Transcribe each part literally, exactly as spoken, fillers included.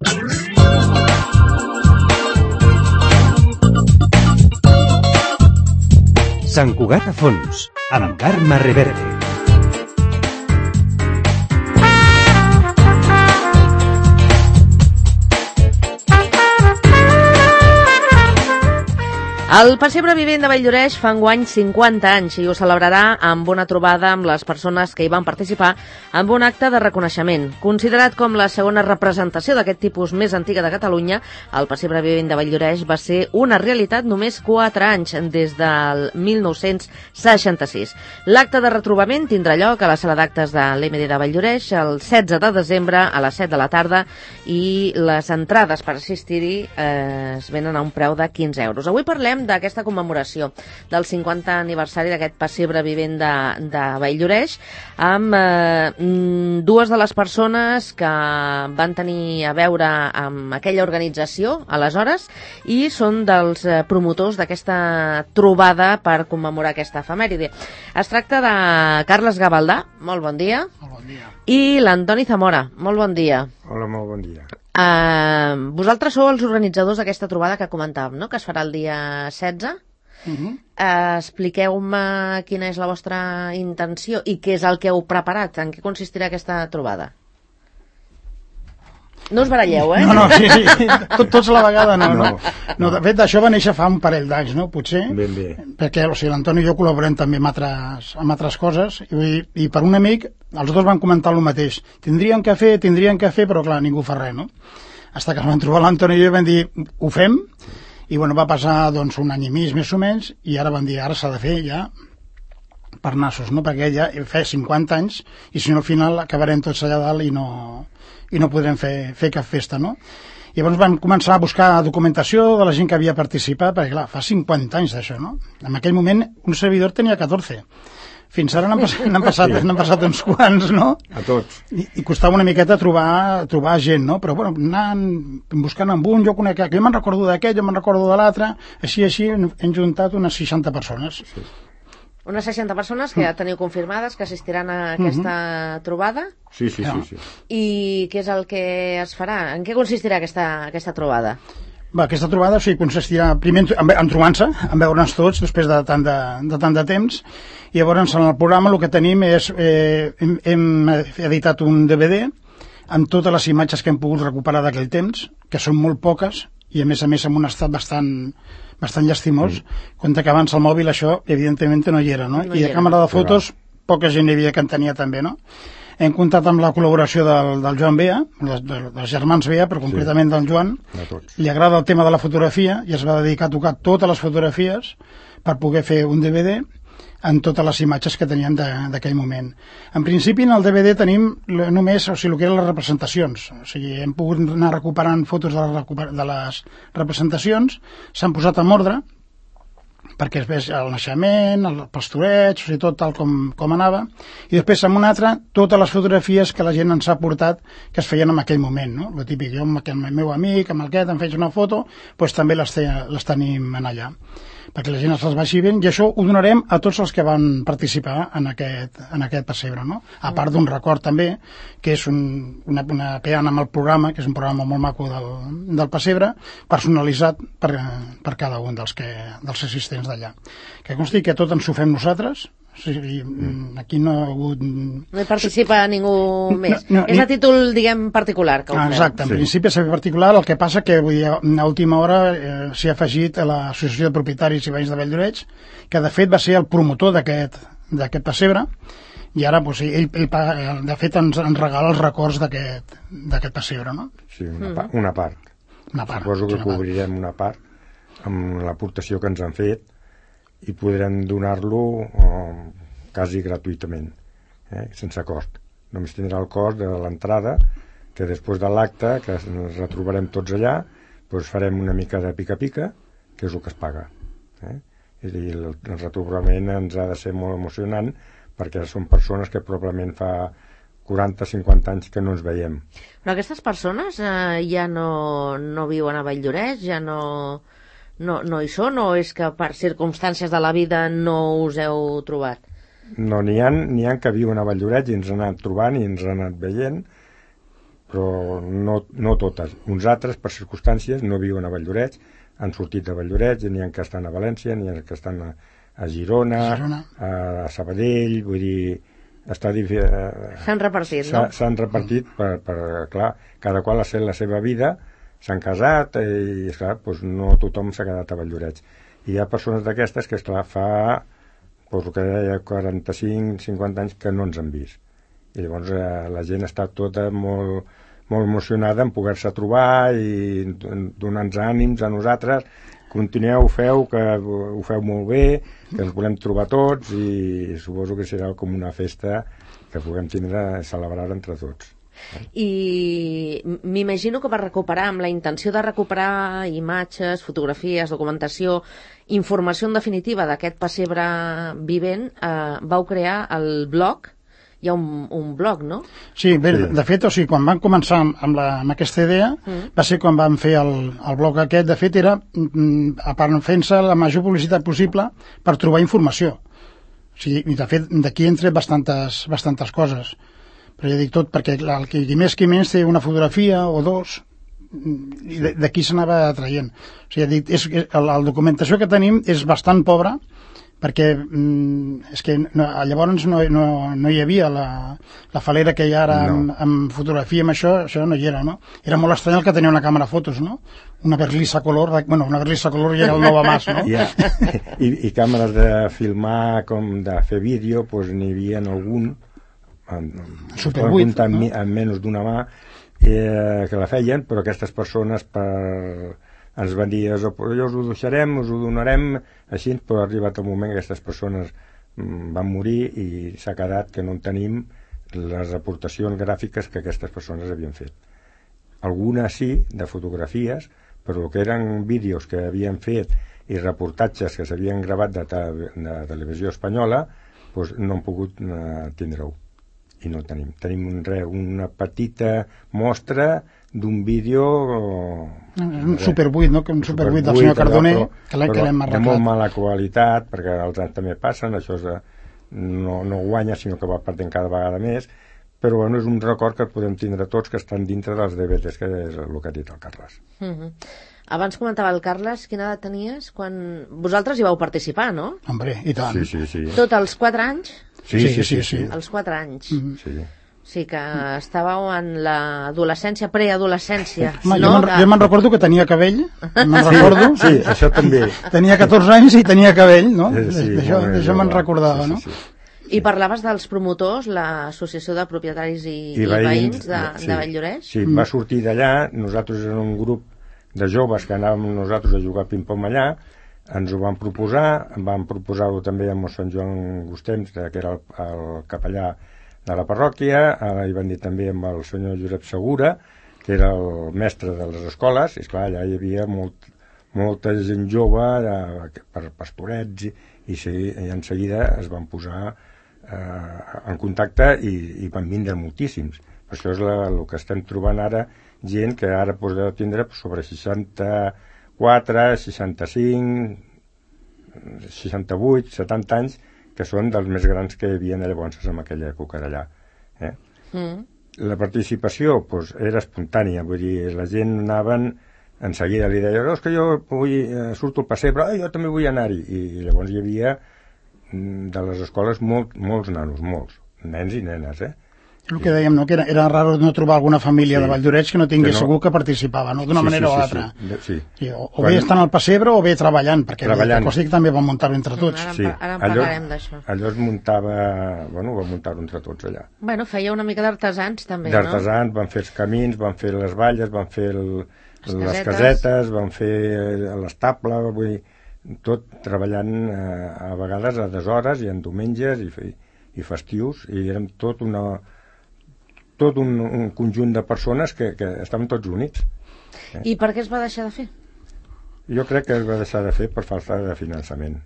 Sant Cugat a fons, amb Carme Reverte. El Pessebre Vivent de Valldoreix fa enguany cinquanta anys i ho celebrarà amb una trobada amb les persones que hi van participar amb un acte de reconeixement. Considerat com la segona representació d'aquest tipus més antiga de Catalunya, el Pessebre Vivent de Valldoreix va ser una realitat només quatre anys, des del mil nou-cents seixanta-sis. L'acte de retrobament tindrà lloc a la sala d'actes de l'E M D de Valldoreix el setze de desembre a les set de la tarda i les entrades per assistir-hi eh, es venen a un preu de quinze euros. Avui parlem d'aquesta commemoració del cinquanta aniversari d'aquest Pessebre Vivent de, de Valldoreix amb eh, dues de les persones que van tenir a veure amb aquella organització aleshores i són dels eh, promotors d'aquesta trobada per commemorar aquesta efemèride. Es tracta de Carles Gavaldà, molt bon dia. Molt bon dia. I l'Antoni Zamora, molt bon dia. Hola, molt bon dia. Uh, vosaltres sou els organitzadors d'aquesta trobada que comentàvem, no?, que es farà el dia setze. Uh -huh. uh, Expliqueu-me quina és la vostra intenció i què és el que heu preparat, en què consistirà aquesta trobada. No us baralleu, eh? No, no, sí, sí. Tot, tots a la vegada no, no. no de fet, això va néixer fa un parell d'anys, no? Potser. Ben bé. Perquè, o sigui, l'Antoni i jo col·laborem també amb altres, amb altres coses i, i per un amic, els dos van comentar el mateix. Tindrien que fer, tindrien que fer, però clar, ningú fa res, no? Hasta que es van trobar l'Antoni i jo i vam dir, ho fem, i bueno, va passar doncs un any i mig, més o menys, i ara van dir, ara s'ha de fer ja per nassos, no? Perquè ja fa cinquanta anys, i si no al final acabarem tots allà dalt i no... i no podrem fer, fer cap festa, no? I llavors vam començar a buscar documentació de la gent que havia participat, perquè clar, fa cinquanta anys d'això, no? En aquell moment un servidor tenia catorze. Fins ara n'han passat, n'han passat, sí. passat uns quants, no? A tots. I, i costava una miqueta trobar, trobar gent, no? Però bueno, anant, buscant amb un, jo conec que jo me'n recordo d'aquest, jo me'n recordo de l'altre, així, així, hem juntat unes seixanta persones. Sí. Unes seixanta persones que ja teniu confirmades que assistiran a aquesta uh-huh. trobada? Sí, sí, sí, sí. I què és el que es farà? En què consistirà aquesta, aquesta trobada? Va, aquesta trobada o sigui, consistirà primer en, en trobar-se, en veure'ns tots després de tant de, de tant de temps, i llavors en el programa el que tenim és eh, hem, hem editat un D V D amb totes les imatges que hem pogut recuperar d'aquell temps, que són molt poques i a més a més en un estat bastant bastant llastimós, mm. compte que abans el mòbil això evidentment no hi era, no? no I de càmera de fotos poca gent hi havia que en tenia també, no? Hem comptat amb la col·laboració del, del Joan Bea, dels, dels germans Bea, però concretament sí. del Joan. Li agrada el tema de la fotografia i es va dedicar a tocar totes les fotografies per poder fer un D V D en totes les imatges que teníem d'aquell moment. En principi, en el D V D tenim només, o sigui, el que eren les representacions. O sigui, hem pogut anar recuperant fotos de les, de les representacions, s'han posat en ordre, perquè es vegi el naixement, el pastoreig, o sigui, tot tal com, com anava, i després en un altre, totes les fotografies que la gent ens ha portat que es feien en aquell moment, no? Lo típic, jo amb el meu amic, amb el aquest, em feia una foto, doncs també les, te, les tenim en allà, perquè la gent es les vagi veient, i això ho donarem a tots els que van participar en aquest, en aquest pessebre, no? A part d'un record també, que és un, una, una peana amb el programa, que és un programa molt maco del, del pessebre, personalitzat per, per cada un dels, que, dels assistents d'allà. Que consti que tot ens ho fem nosaltres, o sigui, aquí no ha hagut... No hi participa ningú més. No, no, és a títol, diguem, particular que ho feu. Exacte, en sí. principi és particular, el que passa que vull dir, a última hora eh, s'hi ha afegit a l'Associació de Propietaris i Veïns de Valldoreix, que de fet va ser el promotor d'aquest d'aquest pessebre, i ara doncs, ell, ell de fet ens, ens regala els records d'aquest pessebre, no? Sí, una, pa una part. Una part. Suposo que una cobrirem una part amb l'aportació que ens han fet i podrem donar-lo eh, quasi gratuïtament, eh, sense cost. Només tindrà el cost de l'entrada, que després de l'acte, que ens retrobarem tots allà, doncs farem una mica de pica-pica, que és el que es paga. Eh? I el, el retrobament ens ha de ser molt emocionant, perquè són persones que probablement fa quaranta o cinquanta anys que no ens veiem. Però aquestes persones eh, ja no, no viuen a Valldoreix, ja no... No, no hi són, o és que per circumstàncies de la vida no us heu trobat? No, n'hi ha, n'hi ha que viuen a Valldoreix i ens han anat trobant i ens han anat veient, però no, no totes. Uns altres, per circumstàncies, no viuen a Valldoreix, han sortit de Valldoreix, n'hi ha que estan a València, n'hi ha que estan a, a Girona, Girona, a Sabadell, vull dir, està difícil. S'han repartit, no? S'han repartit per, per, clar, cada qual ha fet la seva vida, s'han casat i, esclar, doncs no tothom s'ha quedat a Valldoreix. I hi ha persones d'aquestes que, esclar, fa, doncs, que deia, quaranta-cinc cinquanta anys que no ens han vist. I llavors eh, la gent està tota molt, molt emocionada en poder-se trobar i donar-nos ànims a nosaltres. Continueu, feu, que ho feu molt bé, que ens volem trobar tots i suposo que serà com una festa que puguem tindre a celebrar entre tots. I m'imagino que per recuperar, amb la intenció de recuperar imatges, fotografies, documentació, informació en definitiva d'aquest pessebre vivent, eh, vau crear el blog. Hi ha un, un blog, no? Sí, bé, Sí. de fet, o sigui, quan vam començar amb, amb, la, amb aquesta idea, Mm. va ser quan vam fer el, el blog aquest. De fet, era, mm, a part, fent-se la major publicitat possible per trobar informació. O sigui, i de fet, d'aquí han tret bastantes, bastantes coses. Però ja dic tot, perquè clar, el qui, qui més qui menys té una fotografia o dos, mm, i de- d'aquí s'anava traient. O sigui, ja dic, és, és, la, la documentació que tenim és bastant pobra, perquè mm, és que no, llavors no, no, no hi havia la, la falera que hi ha ara No. amb, amb fotografia, amb això, això no hi era, no? Era molt estrany el que tenia una càmera fotos, no? Una Berlissa color, bueno, una Berlissa color ja era el Nova Mas, no? Ja. I, I càmeres de filmar, com de fer vídeo, doncs n'hi havia algun, en, Super poden vuit, comptar no? en, en menys d'una mà, eh, que la feien, però aquestes persones per, ens van dir, jo us ho deixarem, us ho donarem, així, però ha arribat el moment que aquestes persones mm, van morir i s'ha quedat que no en tenim les aportacions gràfiques que aquestes persones havien fet. Algunes sí, de fotografies, però que eren vídeos que havien fet i reportatges que s'havien gravat de, te de televisió espanyola, doncs no han pogut eh, tindre-ho. I no tenim. Tenim un, re, una petita mostra d'un vídeo... Un Super vuit, no? Que un Super vuit del senyor Cardoner, allò, que l'hem però de molt arreglat. mala qualitat, perquè els anys també passen, això és, de- no, no guanya, sinó que va perdent cada vegada més, però bueno, és un record que podem tindre tots, que estan dintre dels D V Ds, que és el que ha dit el Carles. Mhm. Abans comentava el Carles, quina edat tenies quan... Vosaltres hi vau participar, no? Hombre, i tant. Sí, sí, sí. Tot als quatre anys? Sí, Sí, sí, sí, sí. sí. sí. Als quatre anys. Mhm. sí. Sí, que estàveu en l'adolescència, preadolescència. Home, no? jo me'n jo me'n recordo que tenia cabell, me'n recordo. Sí, això també. Tenia catorze anys i tenia cabell, no? Sí, sí, D'això molt bé, d'això me'n jove. recordava, Sí, no? sí, sí. I parlaves dels promotors, l'Associació de Propietaris i, i, veïns de, sí, de Valldoreix? Sí, va sortir d'allà, nosaltres érem un grup de joves que anàvem nosaltres a jugar ping-pong allà, ens ho van proposar, vam proposar-ho també amb el Sant Joan Gustems, que era el, el capellà de la parròquia, eh, hi van dir també amb el senyor Josep Segura, que era el mestre de les escoles, i esclar, allà hi havia molt, molta gent jove eh, per pastorets, i, i, sí, i en seguida es van posar eh, en contacte i, i van vindre moltíssims. Això és la, el que estem trobant ara, gent que ara podeu tindre sobre seixanta-quatre, seixanta-cinc, seixanta-vuit, setanta anys, que són dels més grans que hi havia llavors en aquella època d'allà. Eh? Mm. La participació doncs, era espontània, vull dir, la gent anaven, en seguida li deia, no, és que jo vull, eh, surto al pessebre, ah, jo també vull anar-hi, i, i llavors hi havia mm, de les escoles molt, molts nanos, molts, nens i nenes, eh? El que dèiem, no? Que era, era raro no trobar alguna família Sí. de Valldoreix que no tingués Que no- segur que participava, no? D'una Sí, manera sí, o sí, altra. sí, de- sí. Sí, o, o Quan- bé estan al pessebre o bé treballant, perquè Treballant. el Costic també va muntar-ho entre tots. Ara, Sí, ara en allò, parlarem d'això. allò es muntava, bueno, va muntar-ho entre tots allà. Bueno, feia una mica d'artesans també, no? D'artesans, van fer els camins, van fer les valles, van fer el, Les les casetes. casetes, van fer eh, l'estable, vull dir, tot treballant eh, a vegades a deshores i en diumenges i, fe- i festius, i érem tot una tot un, un conjunt de persones que, que estaven tots units. I per què es va deixar de fer? Jo crec que es va deixar de fer per falta de finançament.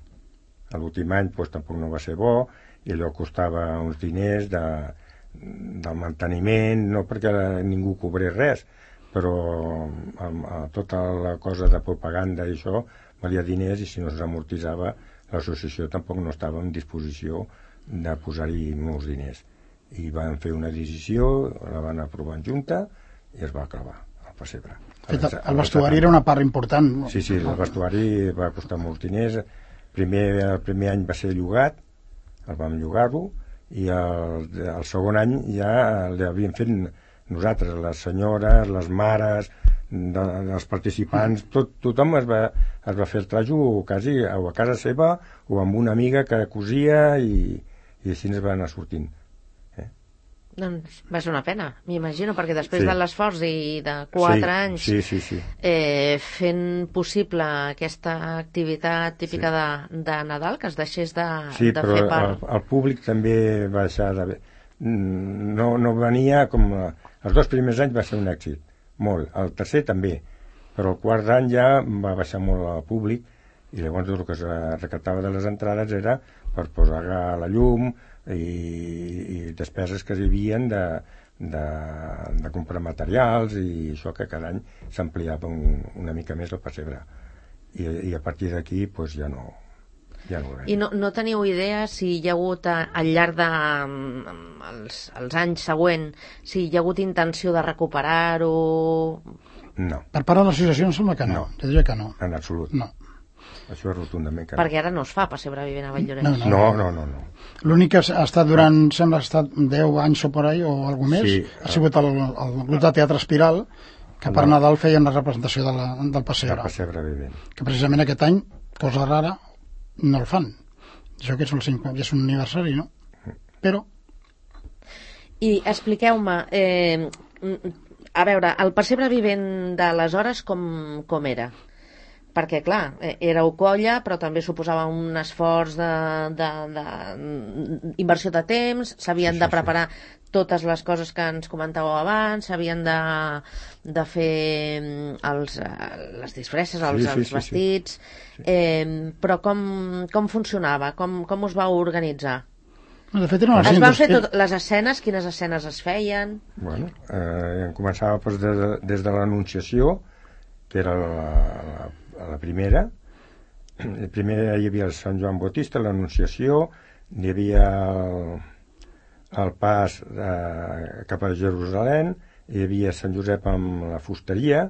A l'últim any doncs, tampoc no va ser bo, i allò costava uns diners de, del manteniment, no perquè ningú cobrés res, però amb, amb tota la cosa de propaganda i això valia diners, i si no s'amortitzava l'associació tampoc no estava en disposició de posar-hi molts diners. I van fer una decisió, la van aprovar en junta, i es va clavar al pessebre. Fet, el vestuari era una part important. Sí, sí, el vestuari va costar molts diners. Primer, el primer any va ser llogat, el vam llogar-lo, i el, el segon any ja l'havíem fet nosaltres, les senyores, les mares, de, dels participants, tot, tothom es va, es va fer el trajo quasi o a casa seva o amb una amiga que cosia i, i així ens va anar sortint. Doncs va ser una pena, m'imagino, perquè després Sí. de l'esforç i de quatre Sí, anys sí, sí, sí. Eh, fent possible aquesta activitat típica sí. de, de Nadal, que es deixés de, Sí, de però fer el, part. el públic també va deixar de... No, no venia com... Els dos primers anys va ser un èxit, molt. El tercer també, però el quart any ja va baixar molt el públic i llavors el que es recaptava de les entrades era per posar la llum i, i despeses que hi havia de, de, de comprar materials i això que cada any s'ampliava un, una mica més el pessebre. I, i a partir d'aquí pues, ja no... Ja no I no, no teniu idea si hi ha hagut a, al llarg de um, els, els anys següents, si hi ha hagut intenció de recuperar-ho? No. Per part de l'associació em sembla que no. No. Jo diria que no. En absolut. No. Això és rotundament que Perquè ara no es fa pessebre vivent a Valldoreix. No, no. No, no, no, no. L'únic que ha estat durant, sembla que ha estat deu anys o por ahí, o alguna més, Sí, ha sigut el, el grup de teatre Espiral, que per No. Nadal feien la representació de la, del El pessebre. pessebre vivent. Que precisament aquest any, cosa rara, no el fan. Això que és un, cinquanta, és un aniversari, no? Però... I expliqueu-me, eh, a veure, el pessebre vivent d'aleshores com, com era? Perquè, clar, éreu colla, però també suposava un esforç de, de, de inversió de temps, s'havien Sí, sí, de preparar totes les coses que ens comentàveu abans, s'havien de, de fer els, les disfresses, els, Sí, sí, els sí, vestits, eh, però com, com funcionava? Com, com us vau organitzar? De fet, eren Es van les fer tot, les escenes? Quines escenes es feien? Bueno, eh, començava pues, des, de, des de l'Anunciació, que era la, la, la primera. El primer hi havia el Sant Joan Bautista, l'Anunciació, hi havia el, el pas eh, cap a Jerusalem, hi havia Sant Josep amb la fusteria,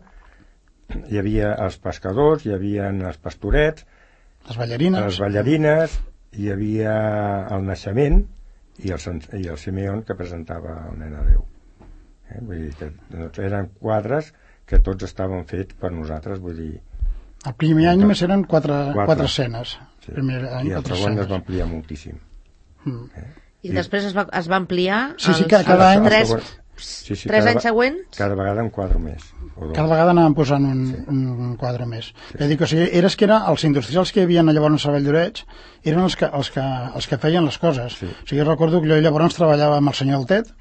hi havia els pescadors, hi havia els pastorets, les ballarines. les ballarines, hi havia el naixement i el, i el Simeón que presentava el nen a Déu. Eh? Vull dir que doncs, eren quadres que tots estaven fets per nosaltres, vull dir... El primer any només eren quatre, Quatre. quatre escenes. Sí. Primer any, I el quatre segon es escenes. va ampliar moltíssim. Mm. Eh? I, I després es va, es va ampliar Sí, sí, els, que cada els any- tres, Sí, sí, tres cada anys va- següents? Cada vegada un quadre més. O dos. Cada vegada anàvem posant un, sí. un quadre més. Sí. Ja dic, o sigui, eres que era, els industrials que hi havia llavors a Valldoreix eren els que, els, que, els que feien les coses. Sí. O sigui, jo recordo que jo llavors treballava amb el senyor Altet,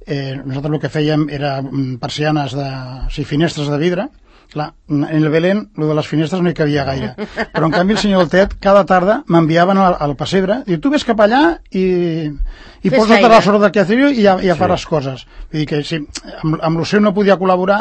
eh, nosaltres el que fèiem era mm, persianes de... O sigui, finestres de vidre. Clar, en el Belén, lo de les finestres no hi cabia gaire. Però en canvi el senyor Altet, cada tarda m'enviaven al, al pessebre, diu, tu ves cap allà i, i Fes posa't a feina. la sort del que hacer i ja, ja Sí. fa les coses. Vull dir que sí, amb, amb l'Oceu no podia col·laborar,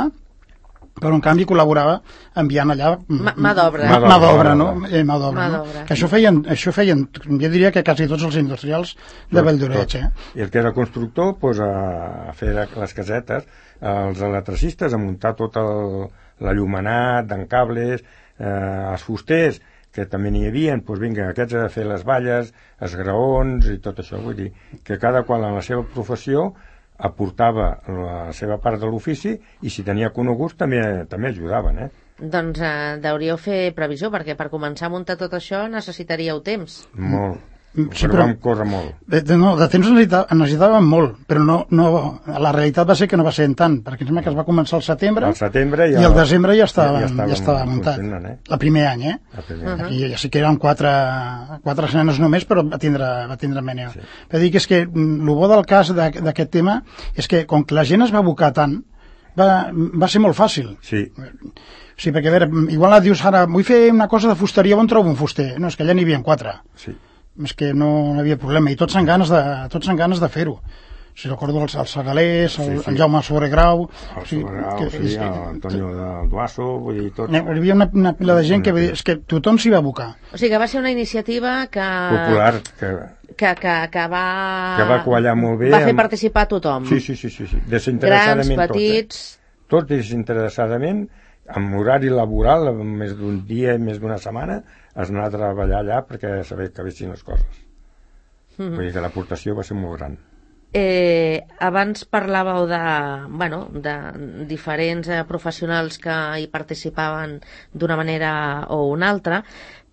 però en canvi col·laborava enviant allà Ma- mà d'obra. mà, mà d'obra, no? Mà Eh, mà d'obra, Mà no? d'obra. Que això feien, això feien, jo diria que quasi tots els industrials de Valldoreix, eh? I el que era constructor, pues, a, a fer les casetes, els electricistes, a muntar tot el, l'allumenat, d'encables, eh, els fusters, que també n'hi havia, doncs vinga, aquests a fer les valles, els graons i tot això. Vull dir que cada qual en la seva professió aportava la seva part de l'ofici i si tenia coneguts també també ajudaven, eh? Doncs eh, deuríeu fer previsió, perquè per començar a muntar tot això necessitaríeu temps. Molt. Sí, però, però- vam córrer molt. De, de, no, de temps necessità- necessitàvem molt, però no, no, la realitat va ser que no va ser en tant, perquè em sembla que es va començar al setembre, Al setembre i ja, al desembre ja estava, ja, estàvem estava muntat. funcionant, eh? El primer any, eh? El primer any. Aquí ja sí que eren quatre, quatre escenes només, però va tindre, va tindre mènia. Sí. Sí. Per dir que és que el bo del cas de- d'aquest tema és que com que la gent es va abocar tant, va, va ser molt fàcil. Sí, Sí, perquè a veure, igual dius ara, vull fer una cosa de fusteria, on trobo un fuster? No, és que allà n'hi havia quatre. sí. És que no, no hi havia problema, i tots amb ganes de, tots amb ganes de fer-ho. Si recordo els, els Segalers, el, Sí, sí. el Jaume Sobregrau... El o sigui, Sobregrau, que- sí, és que- l'Antonio del Duasso, vull dir, tots. Hi havia una, una pila de gent que, vull dir, és que tothom s'hi va abocar. O sigui que va ser una iniciativa que... Popular, que, Que, que, que va... que va quallar molt bé. Va fer amb- participar a tothom. Sí, sí, sí, sí, sí. Grans, desinteressadament petits... Tot, eh? tots desinteressadament, amb horari laboral, amb més d'un dia i més d'una setmana, es anar a treballar allà perquè saber que acabessin les coses. Mm-hmm. Vull dir que l'aportació va ser molt gran. Eh, abans parlàveu de, bueno, de diferents eh, professionals que hi participaven d'una manera o una altra,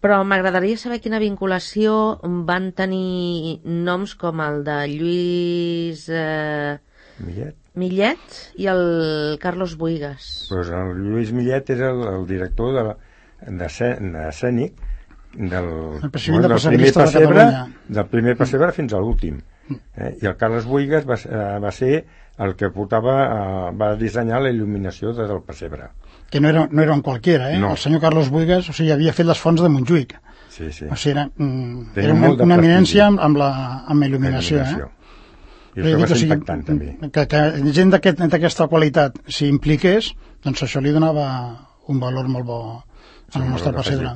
però m'agradaria saber quina vinculació van tenir noms com el de Lluís eh, Millet. Millet i el Carlos Buigas. Pues el Lluís Millet era el, el director de, de, de escènic del, el bueno, de del primer de pessebre, del primer pessebre fins a l'últim. Eh? I el Carles Buigas va, va ser el que portava, eh, va dissenyar la il·luminació de, del pessebre. Que no era, no era un qualquiera, eh? No. El senyor Carlos Buigas, o sigui, havia fet les fonts de Montjuïc. Sí, sí. O sigui, era, mm, Tenia era una, molt de una prestigi. eminència amb, amb, la, amb la il·luminació, il·luminació. eh? I això va ser impactant, també. Que, que gent d'aquesta aquest, qualitat s'hi impliqués, doncs això li donava un valor molt bo Sí, al nostre pessebre.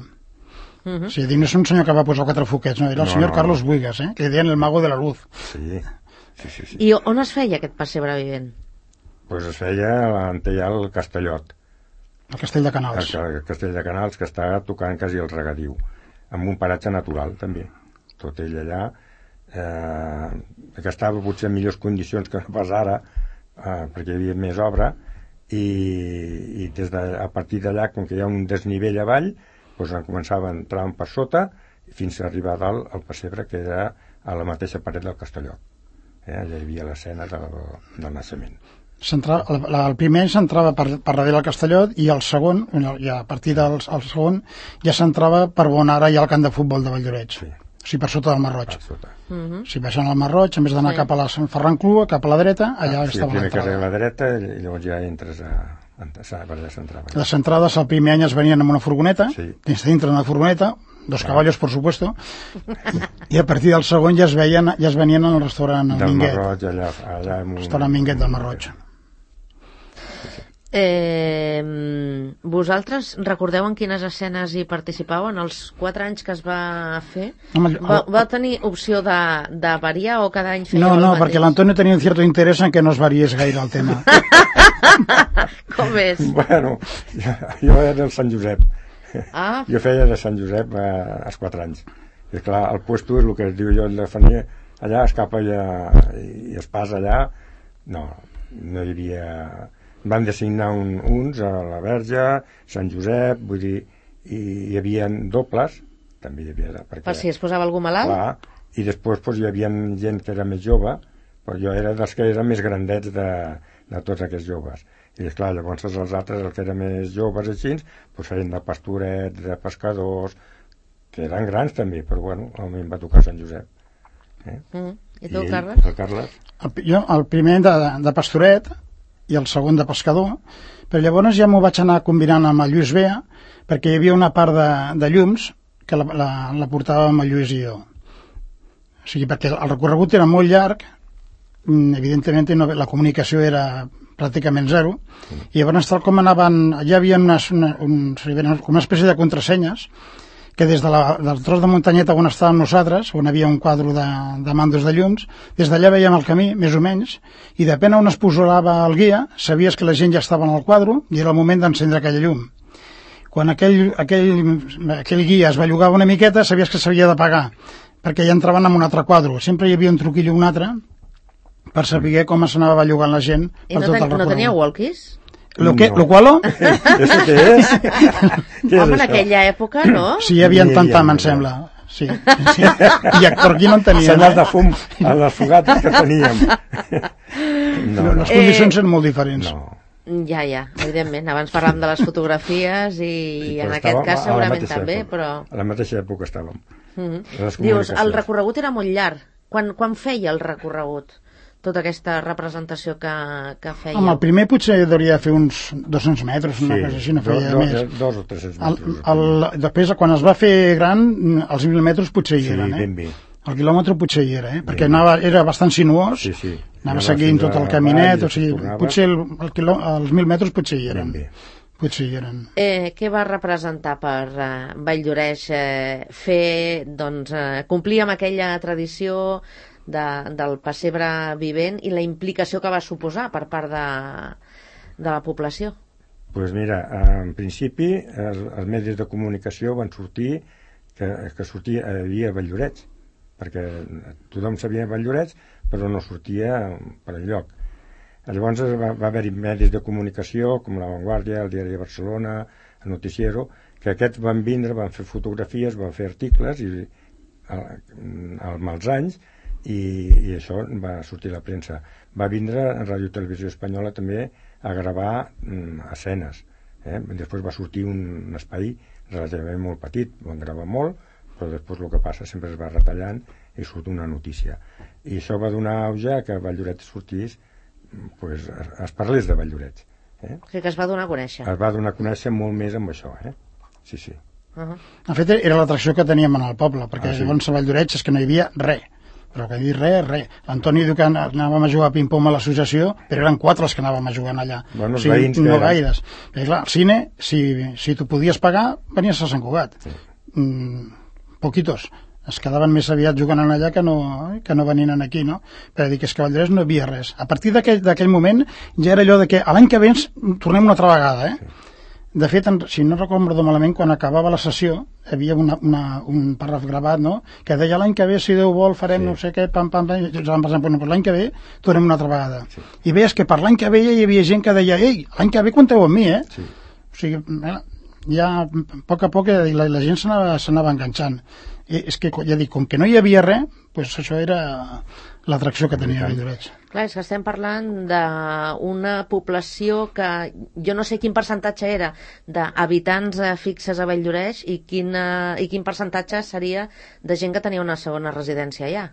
Uh -huh. O sigui, no és un senyor que va posar quatre foquets, no, era el No, senyor no, Carlos no. Buigas, eh? Que li deien el mago de la luz. Sí, sí, sí. sí. I on es feia aquest pessebre vivent? Pues es feia a l'Antellà al Castellot, El castell de Canals. el castell de Canals, que està tocant quasi el regadiu, amb un paratge natural, també. Tot ell allà, eh, que estava potser en millors condicions que no pas ara, eh, perquè hi havia més obra, i, i des de, a partir d'allà, com que hi ha un desnivell avall, doncs començava a entrar per sota fins a arribar a dalt al pessebre, que era a la mateixa paret del Castellot. Eh? Allà hi havia l'escena del, del naixement. El, el primer s'entrava per, per darrere del Castellot i el segon, i a partir del el segon, ja s'entrava per on ara hi ha el camp de futbol de Valldoreix. Sí. O sigui, per sota del Mar Roig. Per sota. Uh -huh. Si baixen al Mar Roig, en vez d'anar Sí. cap a la Sant Ferran Clua, cap a la dreta, allà Ah, sí, estava primer carrer a l'entrada. la dreta i llavors ja entres a... a, a per allà s'entrava. Les entrades el primer any es venien amb una furgoneta, Sí. dins dintre d'una furgoneta, dos Ah. caballos, por supuesto, i a partir del segon ja es veien, ja es venien al restaurant Del Mar Minguet, Roig, allà, allà amb un... restaurant Minguet del Mar Roig. Eh, vosaltres recordeu en quines escenes hi participàveu en els quatre anys que es va fer? Home, el- Va, va tenir opció de, de variar o cada any fèieu No, el no, mateix? perquè l'Antonio tenia un cierto interès en que no es variés gaire el tema. Com és? Bueno, jo, jo era del Sant Josep. Ah, Jo feia de Sant Josep eh, als quatre anys. I clar, el puesto és el que es diu jo, el de Fanier, allà es capa allà, i es passa allà. No, no hi havia... Van designar un, uns a la Verge, Sant Josep, vull dir, i hi havia dobles, també hi havia... Perquè, per si es posava algú malalt? clar, i després doncs, hi havia gent que era més jove, però jo era dels que eren més grandets de, de tots aquests joves. I esclar, llavors els altres, els que eren més joves així, doncs feien de pastorets, de pescadors, que eren grans també, però bueno, a mi em va tocar Sant Josep. Eh? Mm. I tu, ell, Carles? El Carles? El, jo, el primer de, de pastoret i el segon de pescador, però llavors ja m'ho vaig anar combinant amb el Lluís Bea, perquè hi havia una part de, de llums que la, la, la portàvem el Lluís i jo. O sigui, perquè el recorregut era molt llarg, evidentment no, la comunicació era pràcticament zero, i llavors tal com anaven, ja hi havia unes, una, un, com una espècie de contrasenyes, que des de la, del tros de muntanyeta on estàvem nosaltres, on havia un quadre de, de mandos de llums, des d'allà veiem el camí, més o menys, i depèn on es posava el guia, sabies que la gent ja estava en el quadre i era el moment d'encendre aquella llum. Quan aquell, aquell, aquell guia es bellugava una miqueta, sabies que s'havia de pagar, perquè ja entraven en un altre quadre. Sempre hi havia un truquillo o un altre per saber com s'anava bellugant la gent I per no, tot el ten, no recorregut. tenia walkies? Lo, que, No. lo qual? Això què és? Què és Home, en això? aquella època, no? Sí, hi havia N'hi havia, tantam, n'hi em havia. sembla. Sí, sí. I actor aquí no en tenien. Senyals de Eh? fum a les fogates que teníem. No, no. Les condicions Eh, eren molt diferents. no. Ja, ja, evidentment. Abans parlàvem de les fotografies i Sí, en però aquest estàvem cas a la segurament mateixa també, època. però... A la mateixa època estàvem. Mhm. Les Dius, el comunicacions. recorregut era molt llarg. Quan, quan feia el recorregut? Tota aquesta representació que, que feia? Home, el primer potser hauria de fer uns dos-cents metres, una cosa així, no do, feia do, més. dos o tres-cents El, metres. el, després, quan es va fer gran, els mil metres potser hi sí, eren, eh? ben bé. El quilòmetre potser hi era, eh? Perquè Ben bé. anava, era bastant sinuós, Sí, sí. anava Anava seguint fins tot el a caminet, Vall, o sigui, tornava. potser el, el quilò, els mil metres potser hi Ben eren. bé. Potser hi eren. Eh, què va representar per eh, Valldoreix eh, fer, doncs, eh, complir amb aquella tradició de, del pessebre vivent i la implicació que va suposar per part de, de la població? Doncs pues mira, en principi els, els medis de comunicació van sortir que, que sortia, hi havia Valldorets, perquè tothom sabia Valldorets, però no sortia per enlloc. Llavors va, va haver-hi medis de comunicació com La Vanguardia, el Diari de Barcelona, el Noticiero, que aquests van vindre, van fer fotografies, van fer articles i amb els anys i, i això va sortir a la premsa. Va vindre a Ràdio Televisió Espanyola també a gravar mm, escenes. Eh? Després va sortir un, un espai relativament molt petit, van gravar molt, però després el que passa sempre es va retallant i surt una notícia. I això va donar auge a que Valldorets sortís, pues, es, es parlés de Valldorets. Eh? O sigui que es va donar a conèixer. Es va donar a conèixer molt més amb això, eh? Sí, sí. Uh -huh. De fet, era l'atracció que teníem en el poble, perquè ah, sí. llavors a Valldorets és que no hi havia res. Però que dir res, res. L'Antoni diu que anàvem a jugar a ping-pong a l'associació, però eren quatre els que anàvem a jugar allà. Bueno, o sigui, veïns no eren. gaires. Perquè clar, al cine, si, si tu podies pagar, venies a Sant Cugat. Sí. Mm, poquitos. Es quedaven més aviat jugant allà que no, que no venien aquí, no? Però dic, és que a Valldorets no hi havia res. A partir d'aquell moment ja era allò de que a l'any que ve ens tornem una altra vegada, eh? Sí. De fet, si no recordo malament, quan acabava la sessió, hi havia una, una, un parraf gravat, no?, que deia l'any que ve, si Déu vol, farem sí. no sé què, pam, pam, pam, i ens vam pensar, bueno, doncs l'any que ve tornem una altra vegada. Sí. I veies que per l'any que ve ja hi havia gent que deia, ei, l'any que ve compteu amb mi, eh? Sí. O sigui, ja a poc a poc la, la gent s'anava enganxant. I és que, ja dic, com que no hi havia res, doncs això era l'atracció que tenia Valldorets. Clar, és que estem parlant d'una població que jo no sé quin percentatge era d'habitants fixes a Valldorets i, quina, i quin percentatge seria de gent que tenia una segona residència allà.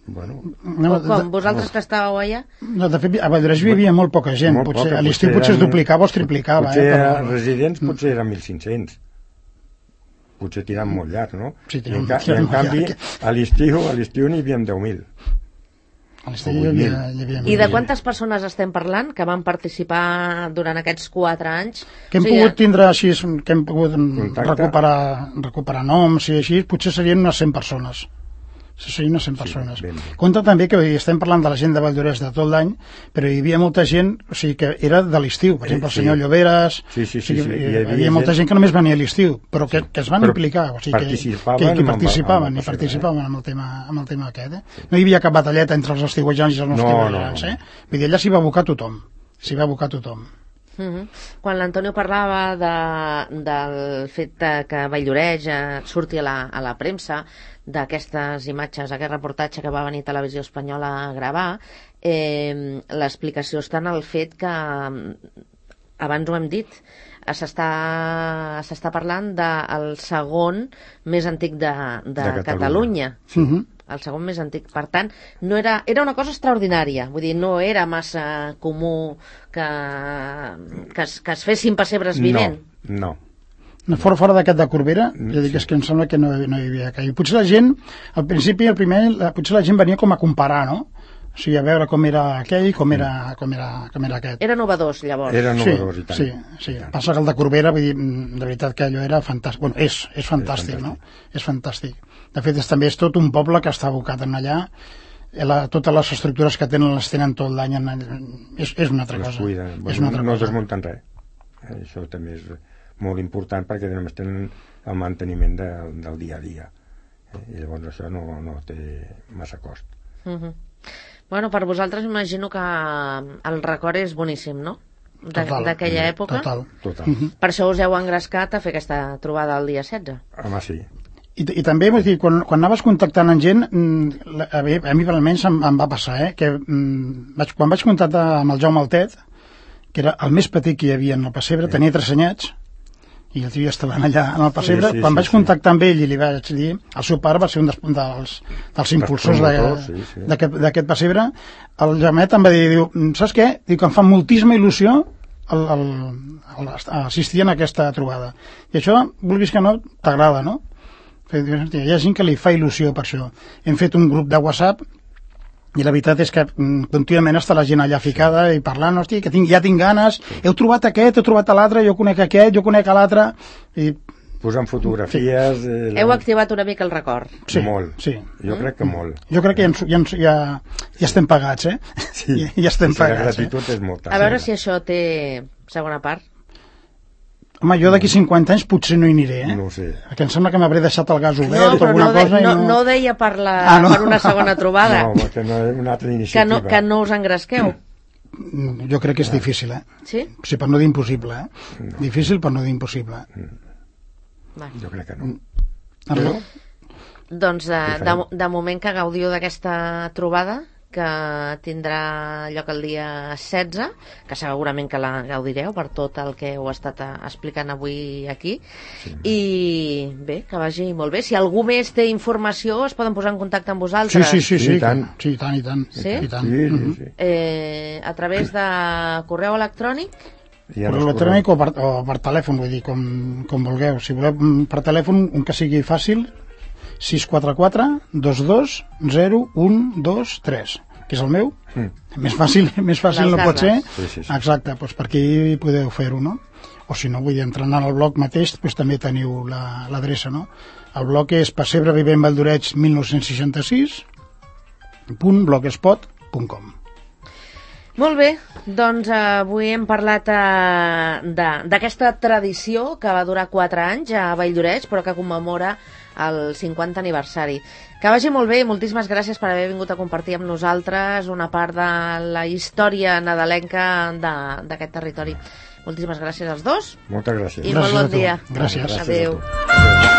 Bueno, no, o com? De, Vosaltres no. que estàveu allà? No, de fet, a Valldorets vivia molt poca gent. Molt potser, poca, a l'estiu potser, potser es duplicava o es triplicava. Potser eh, però... residents potser eren mil cinc-cents. Potser tirant molt llarg, no? Sí, I en, ca i en canvi, llarg. a l'estiu a l'estiu n'hi havia deu mil. A l'estiu hi havia, hi havia I de quantes persones estem parlant que van participar durant aquests quatre anys? Que hem o sigui, pogut tindre així, que hem pogut recuperar, recuperar noms i així, potser serien unes cent persones. Serien unes cent persones. Sí, compte també que estem parlant de la gent de Valldorets de tot l'any, però hi havia molta gent, o sigui, que era de l'estiu. Per exemple, el senyor sí. Lloberes, sí, sí, sí, o sigui, sí, sí. Hi, havia hi havia molta gent que només venia a l'estiu, però que, que es van però implicar, o sigui, que, participaven, que, que participaven i participaven amb el tema, amb el tema aquest. Eh? No hi havia cap batalleta entre els estiuejants i els no estiuejants. No, no. Eh? Vull dir, allà s'hi va abocar tothom. S'hi va abocar tothom. Uh -huh. Quan l'Antonio parlava de, del fet de que Valldorets eh, surti a la, a la premsa d'aquestes imatges, aquest reportatge que va venir Televisió Espanyola a gravar, eh, l'explicació està en el fet que, abans ho hem dit, s'està parlant del segon més antic de, de, de Catalunya. Catalunya. Uh -huh. El segon més antic. Per tant, no era, era una cosa extraordinària. Vull dir, no era massa comú que, que, es, que es fessin pessebres vivent. No, no. Fora, fora d'aquest de Corbera, ja dic, és que em sembla que no, no hi havia que... Potser la gent, al principi, el primer, la, potser la gent venia com a comparar, no? O sigui, a veure com era aquell i com era, com era, com era aquest. Era novedós, llavors. Era novedós, sí, i tant. Sí, sí. Passa que el de Corbera, vull dir, de veritat que allò era fantàstic. Bueno, és, és fantàstic, és fantàstic. No? És fantàstic. De fet, és, també és tot un poble que està abocat en allà. La, totes les estructures que tenen les tenen tot l'any. És, és una altra les cosa. Cuiden. Bueno, és una altra no cosa. desmunten res. Això també és molt important perquè només tenen el manteniment de, del dia a dia. I llavors això no, no té massa cost. Uh -huh. Bueno, per vosaltres imagino que el record és boníssim, no? D'aquella època. Total. Total. Uh -huh. Per això us heu engrescat a fer aquesta trobada el dia setze. Home, sí. I, i també, vull dir, quan, quan anaves contactant amb gent, a, a mi almenys em, em va passar, eh, que vaig, quan vaig contactar amb el Jaume Altet, que era el més petit que hi havia en el pessebre, sí. Tenia tres anyets, i el tio estava allà en el pessebre, sí, sí, quan sí, vaig contactar sí. amb ell i li vaig dir, el seu pare va ser un dels, dels, dels impulsors d'aquest sí, sí. pessebre, el Jaumet em va dir, diu, saps què? Diu que em fa moltíssima il·lusió el, el, el, assistir a aquesta trobada. I això, vulguis que no, t'agrada, no? Hi ha gent que li fa il·lusió per això. Hem fet un grup de WhatsApp i la veritat és que contínuament està la gent allà ficada i parlant, hosti, que tinc, ja tinc ganes, heu trobat aquest, heu trobat l'altre, jo conec aquest, jo conec l'altre, i posant fotografies... Eh, Heu activat una mica el record. Sí, molt. Sí. Jo crec que molt. Jo crec que ja, ens- ja, ens- ja, ja estem pagats, eh? Sí. Ja, ja estem Sí, la pagats. Eh? gratitud és molta. A veure si això té segona part. Home, jo d'aquí cinquanta anys potser no hi aniré, eh? No ho sé. Perquè em sembla que m'hauré deixat el gas No, obert o però alguna no, de, cosa no, i no ho deia per, la, Ah, no? per una segona trobada. No, que no és una altra que, iniciativa. no, que no us engresqueu. Mm, Jo crec que és difícil, eh? Sí? Sí, per no dir impossible, eh? No. Difícil per no dir impossible. Va. Jo crec que no. Arreu? Doncs de, Què de, farem? de moment que gaudiu d'aquesta trobada, que tindrà lloc el dia setze, que segurament que la gaudireu per tot el que heu estat eh, explicant avui aquí. Sí. I bé, que vagi molt bé. Si algú més té informació, es poden posar en contacte amb Sí, vosaltres. sí, sí, Sí, sí, i tant. sí, i tant, i tant. Sí? I tant. Sí, sí, Mhm. sí. Eh, a través de correu electrònic. I ara Per es electrònic o per, o per telèfon, vull dir, com, com vulgueu. Si voleu mm, per telèfon, un que sigui fàcil, sis quatre quatre dos dos zero un dos tres, que és el meu. Mm. Més fàcil, més fàcil Les no pot ser. Carles. Sí, sí, sí. Exacte, doncs per aquí podeu fer-ho, no? O si no, vull dir, entrant al blog mateix, doncs també teniu la- l'adreça, no? El blog és pessebre vivent Valldoreig mil nou-cents seixanta-sis punt blogspot punt com. Molt bé, doncs eh, avui hem parlat eh, de- d'aquesta tradició que va durar quatre anys a Valldoreig, però que commemora el cinquanta aniversari. Que vagi molt bé i moltíssimes gràcies per haver vingut a compartir amb nosaltres una part de la història nadalenca de- d'aquest territori. Moltíssimes gràcies als dos Moltes gràcies. i Gràcies molt a bon tu. dia. Gràcies. Gràcies a Adéu. tu. Adéu.